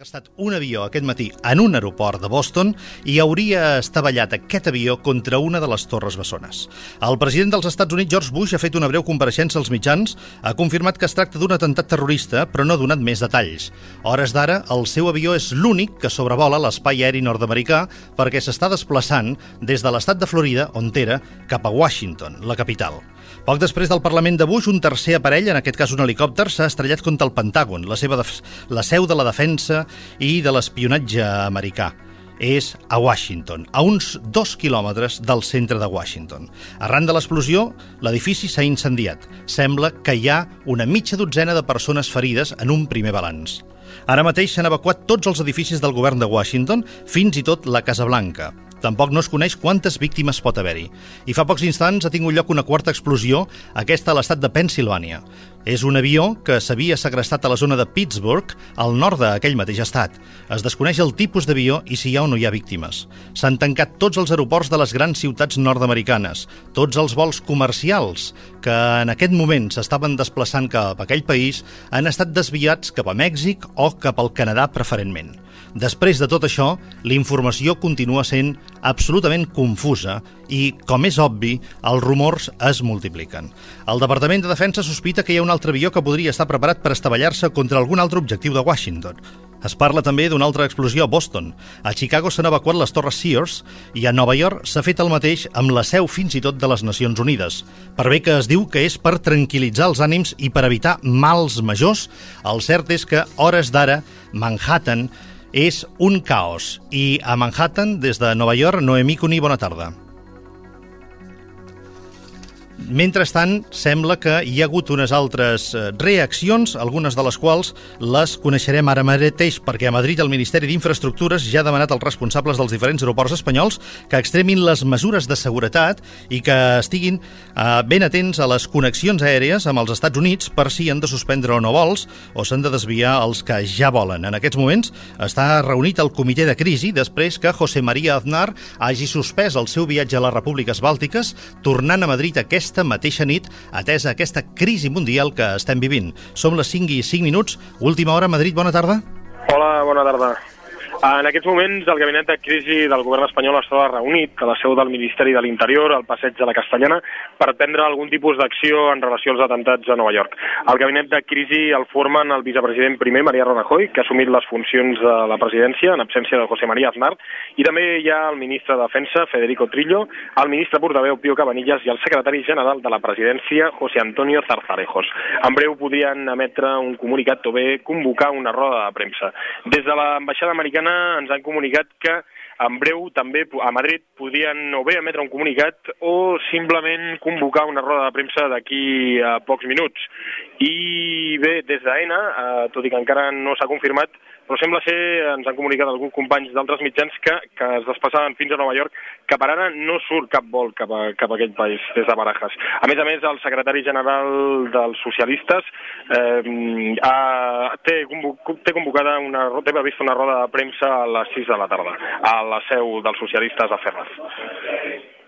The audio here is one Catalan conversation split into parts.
Ha estat un avió aquest matí en un aeroport de Boston i hauria estavellat aquest avió contra una de les torres bessones. El president dels Estats Units, George Bush, ha fet una breu compareixença als mitjans, ha confirmat que es tracta d'un atemptat terrorista, però no ha donat més detalls. A hores d'ara, el seu avió és l'únic que sobrevola l'espai aeri nord-americà perquè s'està desplaçant des de l'estat de Florida, on era, cap a Washington, la capital. Poc després del Parlament de Bush, un tercer aparell, en aquest cas un helicòpter, s'ha estrellat contra el Pentàgon, la seu de la defensa i de l'espionatge americà. És a Washington, a uns 2 quilòmetres del centre de Washington. Arran de l'explosió, l'edifici s'ha incendiat. Sembla que hi ha una mitja dotzena de persones ferides en un primer balanç. Ara mateix s'han evacuat tots els edificis del govern de Washington, fins i tot la Casa Blanca. Tampoc no es coneix quantes víctimes pot haver-hi. I fa pocs instants ha tingut lloc una quarta explosió, aquesta a l'estat de Pennsilvània. És un avió que s'havia segrestat a la zona de Pittsburgh, al nord d'aquell mateix estat. Es desconeix el tipus d'avió i si hi ha o no hi ha víctimes. S'han tancat tots els aeroports de les grans ciutats nord-americanes, tots els vols comercials que en aquest moment s'estaven desplaçant cap a aquell país han estat desviats cap a Mèxic o cap al Canadà preferentment. Després de tot això, la informació continua sent absolutament confusa i, com és obvi, els rumors es multipliquen. El Departament de Defensa sospita que hi ha un altre avió que podria estar preparat per estavellar-se contra algun altre objectiu de Washington. Es parla també d'una altra explosió a Boston. A Chicago s'han evacuat les torres Sears i a Nova York s'ha fet el mateix amb la seu fins i tot de les Nacions Unides. Per bé que es diu que és per tranquil·litzar els ànims i per evitar mals majors, el cert és que, a hores d'ara, Manhattan és un caos. I a Manhattan, des de Nova York, Noemí Cuní, bona tarda. Mentrestant, sembla que hi ha hagut unes altres reaccions, algunes de les quals les coneixerem ara mateix, perquè a Madrid el Ministeri d'Infraestructures ja ha demanat als responsables dels diferents aeroports espanyols que extremin les mesures de seguretat i que estiguin ben atents a les connexions aèries amb els Estats Units per si han de suspendre o no vols o s'han de desviar els que ja volen. En aquests moments està reunit el comitè de crisi després que José María Aznar hagi suspès el seu viatge a les repúbliques bàltiques, tornant a Madrid aquesta mateixa nit, atesa aquesta crisi mundial que estem vivint. Som les 5:05, última hora a Madrid, bona tarda. Hola, bona tarda. En aquests moments, el gabinet de crisi del govern espanyol està reunit a la seu del Ministeri de l'Interior, al passeig de la Castellana, per prendre algun tipus d'acció en relació als atemptats a Nova York. El gabinet de crisi el formen el vicepresident primer, Mariano Rajoy, que ha assumit les funcions de la presidència en absència de José María Aznar, i també hi ha el ministre de Defensa, Federico Trillo, el ministre portaveu, Pío Cabanillas, i el secretari general de la presidència, José Antonio Zarzalejos. En breu podrien emetre un comunicat o bé convocar una roda de premsa. Des de l'ambaixada americana ens han comunicat que en breu també a Madrid podien o bé emetre un comunicat o simplement convocar una roda de premsa d'aquí a pocs minuts. I bé, des d'AENA, tot i que encara no s'ha confirmat, però sembla ser, ens han comunicat alguns companys d'altres mitjans que es desplaçaven fins a Nova York, que per ara no surt cap vol cap a aquell país, des de Barajas. A més, el secretari general dels socialistes té convocada té prevista una roda de premsa a les 6 de la tarda, a la seu dels socialistes a Ferraz.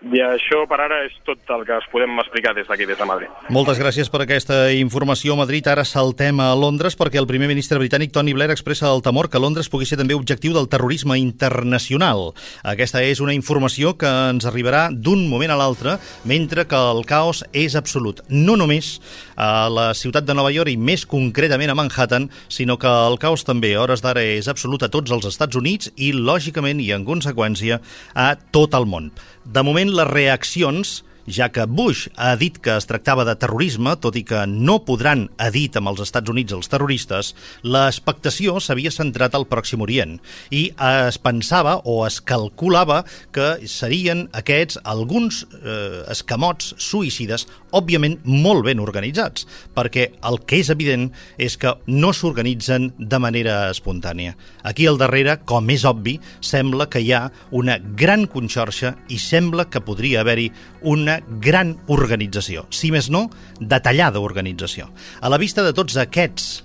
I això per ara és tot el que us podem explicar des d'aquí, des de Madrid. Moltes gràcies per aquesta informació a Madrid. Ara saltem a Londres perquè el primer ministre britànic Tony Blair expressa el temor que Londres pugui ser també objectiu del terrorisme internacional. Aquesta és una informació que ens arribarà d'un moment a l'altre, mentre que el caos és absolut. No només a la ciutat de Nova York i més concretament a Manhattan, sinó que el caos també a hores d'ara és absolut a tots els Estats Units i, lògicament i en conseqüència, a tot el món. De moment, les reaccions, ja que Bush ha dit que es tractava de terrorisme, tot i que no podran, ha dit amb els Estats Units els terroristes, l'expectació s'havia centrat al Pròxim Orient i es pensava o es calculava que serien aquests alguns escamots suïcides, òbviament molt ben organitzats, perquè el que és evident és que no s'organitzen de manera espontània. Aquí al darrere, com és obvi, sembla que hi ha una gran conxorxa i sembla que podria haver-hi una gran organització, si més no, detallada organització. A la vista de tots aquests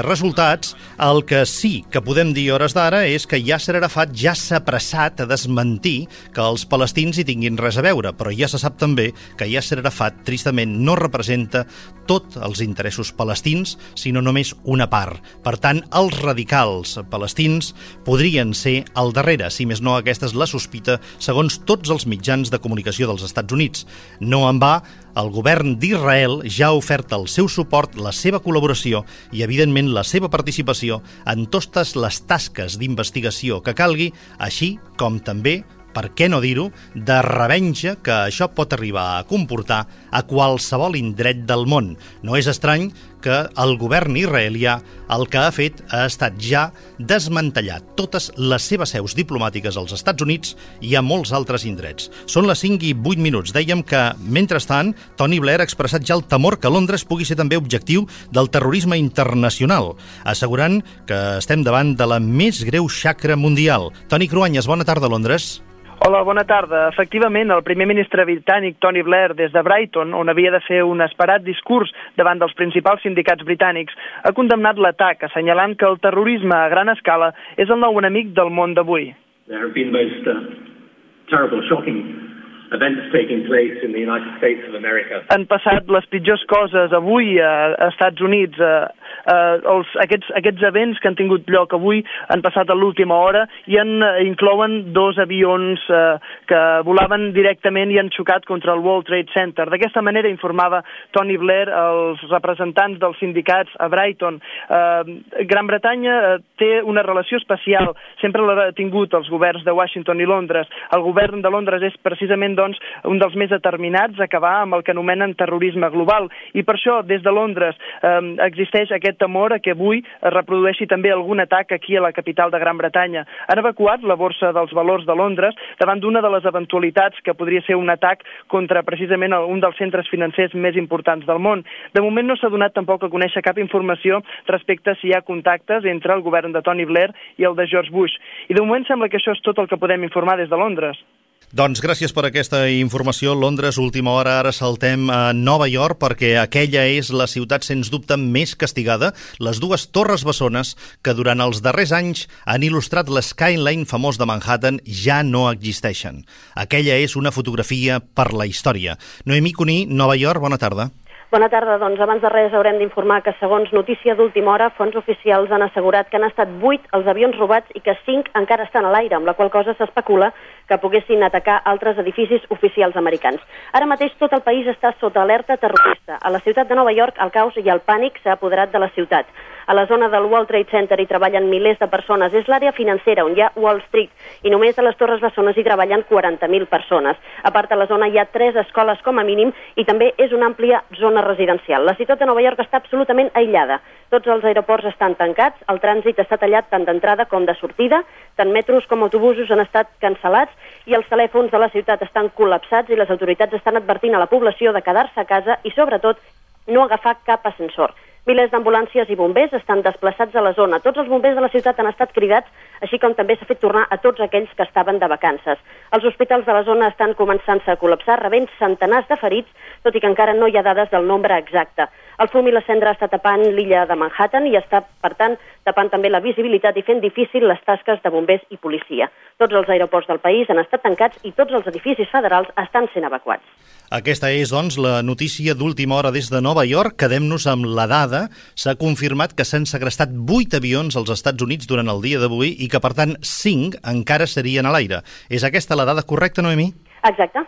resultats, el que sí que podem dir a hores d'ara és que Yasser Arafat ja s'ha apressat a desmentir que els palestins hi tinguin res a veure, però ja se sap també que Yasser Arafat, tristament, no representa tots els interessos palestins, sinó només una part. Per tant, els radicals palestins podrien ser al darrere, si més no aquesta és la sospita, segons tots els mitjans de comunicació dels Estats Units. No en va, el govern d'Israel ja ha ofert el seu suport, la seva col·laboració i, evidentment, la seva participació en totes les tasques d'investigació que calgui, així com també, per què no dir-ho, de revenja que això pot arribar a comportar a qualsevol indret del món. No és estrany que el govern israelià el que ha fet ha estat ja desmantellar totes les seves seus diplomàtiques als Estats Units i a molts altres indrets. Són les 5 i 8 minuts. Dèiem que, mentrestant, Tony Blair ha expressat ja el temor que Londres pugui ser també objectiu del terrorisme internacional, assegurant que estem davant de la més greu xacra mundial. Toni Cruanyes, bona tarda, Londres. Hola, bona tarda. Efectivament, el primer ministre britànic Tony Blair, des de Brighton, on havia de fer un esperat discurs davant dels principals sindicats britànics, ha condemnat l'atac, assenyalant que el terrorisme a gran escala és el nou enemic del món d'avui. There have been most terrible, shocking events taking place in the United States of America. Han passat les pitjors coses avui a Estats Units. Aquests events que han tingut lloc avui han passat a l'última hora i inclouen 2 avions que volaven directament i han xocat contra el World Trade Center. D'aquesta manera informava Tony Blair als representants dels sindicats a Brighton. Gran Bretanya té una relació especial, sempre l'ha tingut els governs de Washington i Londres. El govern de Londres és precisament un dels més determinats a acabar amb el que anomenen terrorisme global. I per això, des de Londres, existeix aquest temor a que avui es reprodueixi també algun atac aquí a la capital de Gran Bretanya. Han evacuat la Borsa dels Valors de Londres davant d'una de les eventualitats que podria ser un atac contra precisament un dels centres financers més importants del món. De moment no s'ha donat tampoc a conèixer cap informació respecte a si hi ha contactes entre el govern de Tony Blair i el de George Bush. I de moment sembla que això és tot el que podem informar des de Londres. Doncs gràcies per aquesta informació. Londres, última hora, ara saltem a Nova York perquè aquella és la ciutat sens dubte més castigada. Les 2 torres bessones que durant els darrers anys han il·lustrat l'skyline famós de Manhattan ja no existeixen. Aquella és una fotografia per la història. Noemí Cuní, Nova York, bona tarda. Bona tarda. Doncs abans de res haurem d'informar que, segons notícia d'última hora, fonts oficials han assegurat que han estat 8 els avions robats i que 5 encara estan a l'aire, amb la qual cosa s'especula que poguessin atacar altres edificis oficials americans. Ara mateix tot el país està sota alerta terrorista. A la ciutat de Nova York el caos i el pànic s'ha apoderat de la ciutat. A la zona del World Trade Center hi treballen milers de persones. És l'àrea financera on hi ha Wall Street i només a les Torres Bessones hi treballen 40.000 persones. A part, a la zona hi ha 3 escoles com a mínim i també és una àmplia zona residencial. La ciutat de Nova York està absolutament aïllada. Tots els aeroports estan tancats, el trànsit està tallat tant d'entrada com de sortida, tant metros com autobusos han estat cancel·lats i els telèfons de la ciutat estan col·lapsats i les autoritats estan advertint a la població de quedar-se a casa i, sobretot, no agafar cap ascensor. Milers d'ambulàncies i bombers estan desplaçats a la zona. Tots els bombers de la ciutat han estat cridats, així com també s'ha fet tornar a tots aquells que estaven de vacances. Els hospitals de la zona estan començant-se a col·lapsar, rebent centenars de ferits, tot i que encara no hi ha dades del nombre exacte. El fum i la cendra està tapant l'illa de Manhattan i està, per tant, tapant també la visibilitat i fent difícil les tasques de bombers i policia. Tots els aeroports del país han estat tancats i tots els edificis federals estan sent evacuats. Aquesta és, doncs, la notícia d'última hora des de Nova York. Quedem-nos amb la dada. S'ha confirmat que s'han segrestat 8 avions als Estats Units durant el dia d'avui i que, per tant, 5 encara serien a l'aire. És aquesta la dada correcta, Noemí? Exacte.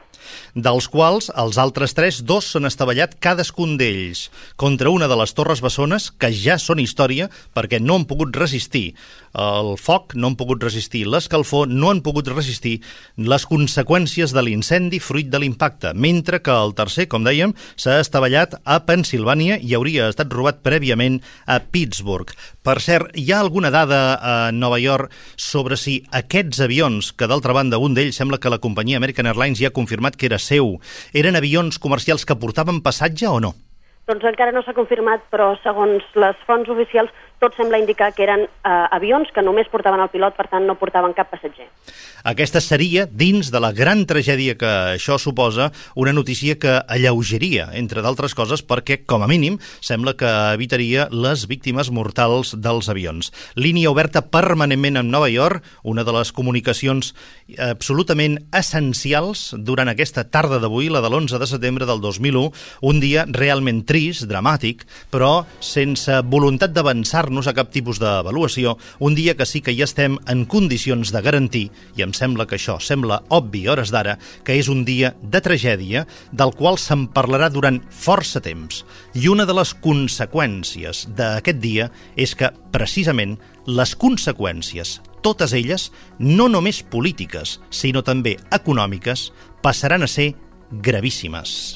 Dels quals els altres 3, 2 s'han estavellat cadascun d'ells contra una de les torres bessones que ja són història perquè no han pogut resistir el foc, no han pogut resistir l'escalfor, no han pogut resistir les conseqüències de l'incendi fruit de l'impacte, mentre que el tercer, com dèiem, s'ha estavellat a Pennsilvània i hauria estat robat prèviament a Pittsburgh. Per cert, hi ha alguna dada a Nova York sobre si aquests avions, que d'altra banda un d'ells sembla que la companyia American Airlines ja ha confirmat que era seu, eren avions comercials que portaven passatge o no? Doncs encara no s'ha confirmat, però segons les fonts oficials, tot sembla indicar que eren avions que només portaven el pilot, per tant no portaven cap passatger. Aquesta seria, dins de la gran tragèdia que això suposa, una notícia que alleugeria, entre d'altres coses, perquè, com a mínim, sembla que evitaria les víctimes mortals dels avions. Línia oberta permanentment amb Nova York, una de les comunicacions absolutament essencials durant aquesta tarda d'avui, la de l'11 de setembre del 2001, un dia realment trist, dramàtic, però sense voluntat d'avançar-nos a cap tipus d'avaluació, un dia que sí que ja estem en condicions de garantir, i em sembla que això sembla obvi a hores d'ara, que és un dia de tragèdia del qual se'n parlarà durant força temps. I una de les conseqüències d'aquest dia és que, precisament, les conseqüències, totes elles, no només polítiques, sinó també econòmiques, passaran a ser gravíssimes.